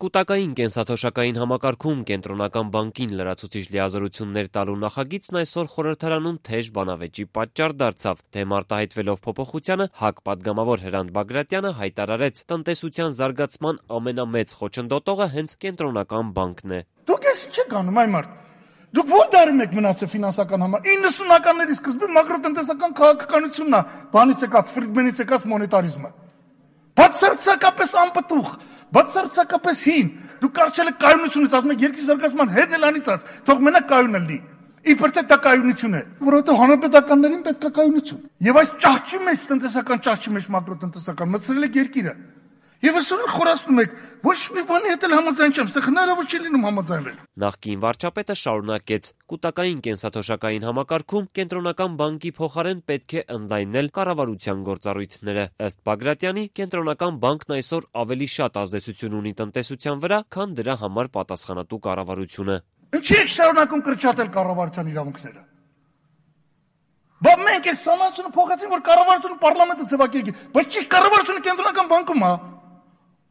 Կուտակային կենսաթոշակային համակարգում կենտրոնական բանկին լրացուցիչ լիազորություններ տալու նախագիծն այսօր խորհրդարանում թեժ բանավեճի պատճառ դարձավ։ Դեմ արտահայտվելով փոփոխությանը ՀԱԿ պատգամավոր Հրանտ Բագրատյանը հայտարարեց, տնտեսության զարգացման ամենամեծ խոչընդոտողը հենց կենտրոնական բանկն է։ Դուք ես չեք անում, այ մարդ։ Դուք ո՞ր դարում եք մնացել ֆինանսական համար։ 90-ականների սկզբում մակրոտնտեսական քաղաքականությունն է, բանից եկած, Ֆրիդմենից եկած մոնետարիզմը։ Բացարձակապես անպտուղ, բացարձակապես հին։ Դուք կարճել եք կայունությունից, ասում եք երկրի զարգացման հետն էլ անիծած, թող մենակ կայունը լինի։ Իբր թե դա կայունություն է, որովհետև հանրապետականներին պետք է կայունություն։ Եվ այս ճահճի մեջ, տնտեսական ճահճի մեջ մակրոտնտեսական մտցրել եք երկիրը։ Եվ այսօր խորացնում եք, ոչ մի բանի հետ էլ համաձայն չեմ, այստեղ հնարավոր չի լինում համաձայնվել։ Նախկին վարչապետը շարունակեց. կուտակային կենսաթոշակային համակարգում կենտրոնական բանկի փոխարեն պետք է ընդլայնել կառավարության գործառույթները։ Ըստ Բագրատյանի, կենտրոնական բանկն այսօր ավելի շատ ազդեցություն ունի տնտեսության վրա, քան դրա համար պատասխանատու կառավարությունը։ Ինչի՞ եք շարունակում կրճատել կառավարության իրավունքները։ Բա մենք այս համացությունը փոխեցին, որ կառավարությունը պարլամենտը ձևակերպի, բայց ճիշտ կառավարությունը կենտրոնական բանկում է։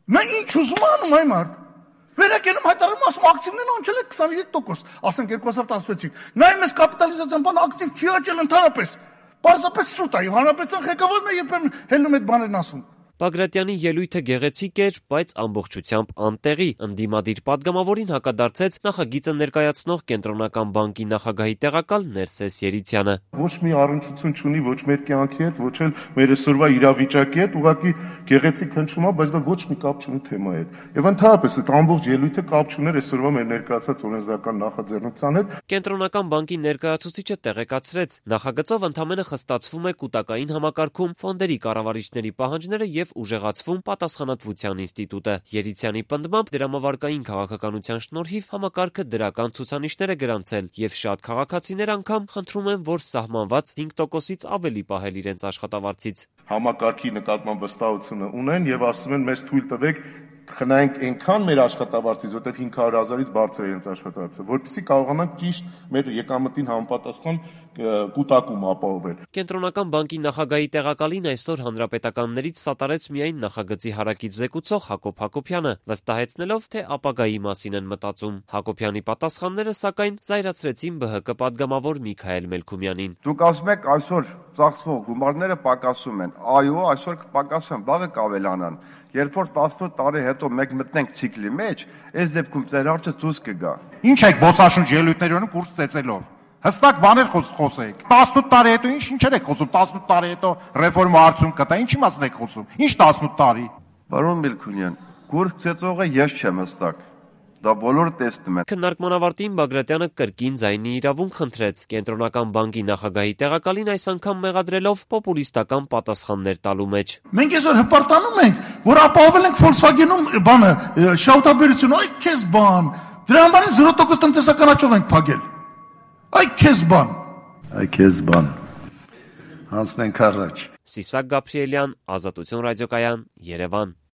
Նա ինչ ուզում անում այ մարդ։ Վերակենում հայտարարում ասում ակտիվներն անցել է 27%, ասենք 2016-ին։ Նայում ես կապիտալիզացիան բան ակտիվ չի աճել ընդհանրապես։ Պարզապես սուտ է, եւ հանրապետության ղեկավարն է երբեմն հելնում այդ բաներն ասում։ Բագրատյանի ելույթը գեղեցիկ էր, բայց ամբողջությամբ անտեղի։ Ընդդիմադիր պատգամավորին հակադարձեց նախագիծը ներկայացնող կենտրոնական բանկի նախագահի տեղակալ Ներսես Երիցյանը։ Ոչ մի առնչություն չունի ոչ մեր կյանքի հետ, ոչ էլ մեր այսօրվա իրավիճակի հետ, ուղղակի գեղեցիկ հնչում է, բայց դա ոչ մի կապ չունի թեմայի հետ։ Եվ ընդհանրապես այդ ամբողջ ելույթը կապ չուներ այսօրվա մեր ներկայացած օրենսդրական նախաձեռնության հետ։ Կենտրոնական բանկի ներկայացուցիչը տեղեկացրեց, նախագծով ընդամենը խստացվում է կուտակային համակարգում ֆոնդերի կառավարիչների պահանջները եւ ուժեղացվում պատասխանատվության ինստիտուտը։ Երիցյանի պնդմամբ դրամավարկային քաղաքականության շնորհիվ համակարգը դրական ցուցանիշներ է գրանցել եւ շատ քաղաքացիներ անգամ խնդրում են, որ սահմանված 5%-ից ավելի պահել իրենց աշխատավարձից։ Համակարգի նկատմամբ վստահությունը ունեն եւ ասում են մեզ թույլ տվեք խնայենք այնքան մեր աշխատավարձից, որտեղ 500,000-ից բարձր է իրենց աշխատավարձը, որպեսզի կարողանանք ճիշտ մեր եկամտին համապատասխան կուտակում ապահովել։ Կենտրոնական բանկի նախագահի տեղակալին այսօր հանրապետականներից սատարեց միայն նախագծի հարակից զեկուցող Հակոբ Հակոբյանը, վստահեցնելով, թե ապագայի մասին են մտածում։ Հակոբյանի պատասխանները, սակայն, զայրացրեցին ԲՀԿ պատգամավոր Միքայել Մելքումյանին։ Դուք ասում եք այսօր ծախսվող գումարները պակասում են։ Այո, այսօր կպակասեն, վաղը կավելանան։ Երբ որ 18 տարի հետո մենք մտնենք ցիկլի մեջ, այս դեպքում ձեր հարցը դուրս կգա։ Ինչ եք բոսաշունչ ելույթների ունենում կուրս ծեծելով։ Հստակ բաներ խոսեք։ 18 տարի հետո ինչեր եք խոսում, 18 տարի հետո ռեֆորմա արդյունք կտա, ինչի մասն եք խոսում։ Ինչ 18 տարի։ Պարոն Մելքումյան, կուրս ծեծողը ես չեմ հստակ։ Դա բոլորը տեսնում են։ Քննարկման ավարտին Բագրատյանը կրկին ձայնի իրավունք խնդրեց կենտրոնական բանկի նախագահի տեղակալին այս անգամ մեղադրելով պոպուլիստական պատասխաններ տալու մեջ։ Մենք այսօր հպարտանում ենք, որ ապահովել ենք Volkswagen-ում բանը, շահութաբերությունը, այ քեզ բան։ Դրա համար 0% տնտեսական աճով ենք փակել։ Այ քեզ բան։ Այ քեզ բան։ Հանցնենք առաջ։ Սիսակ Գաբրիելյան, Ազատություն ռադիոկայան, Երևան։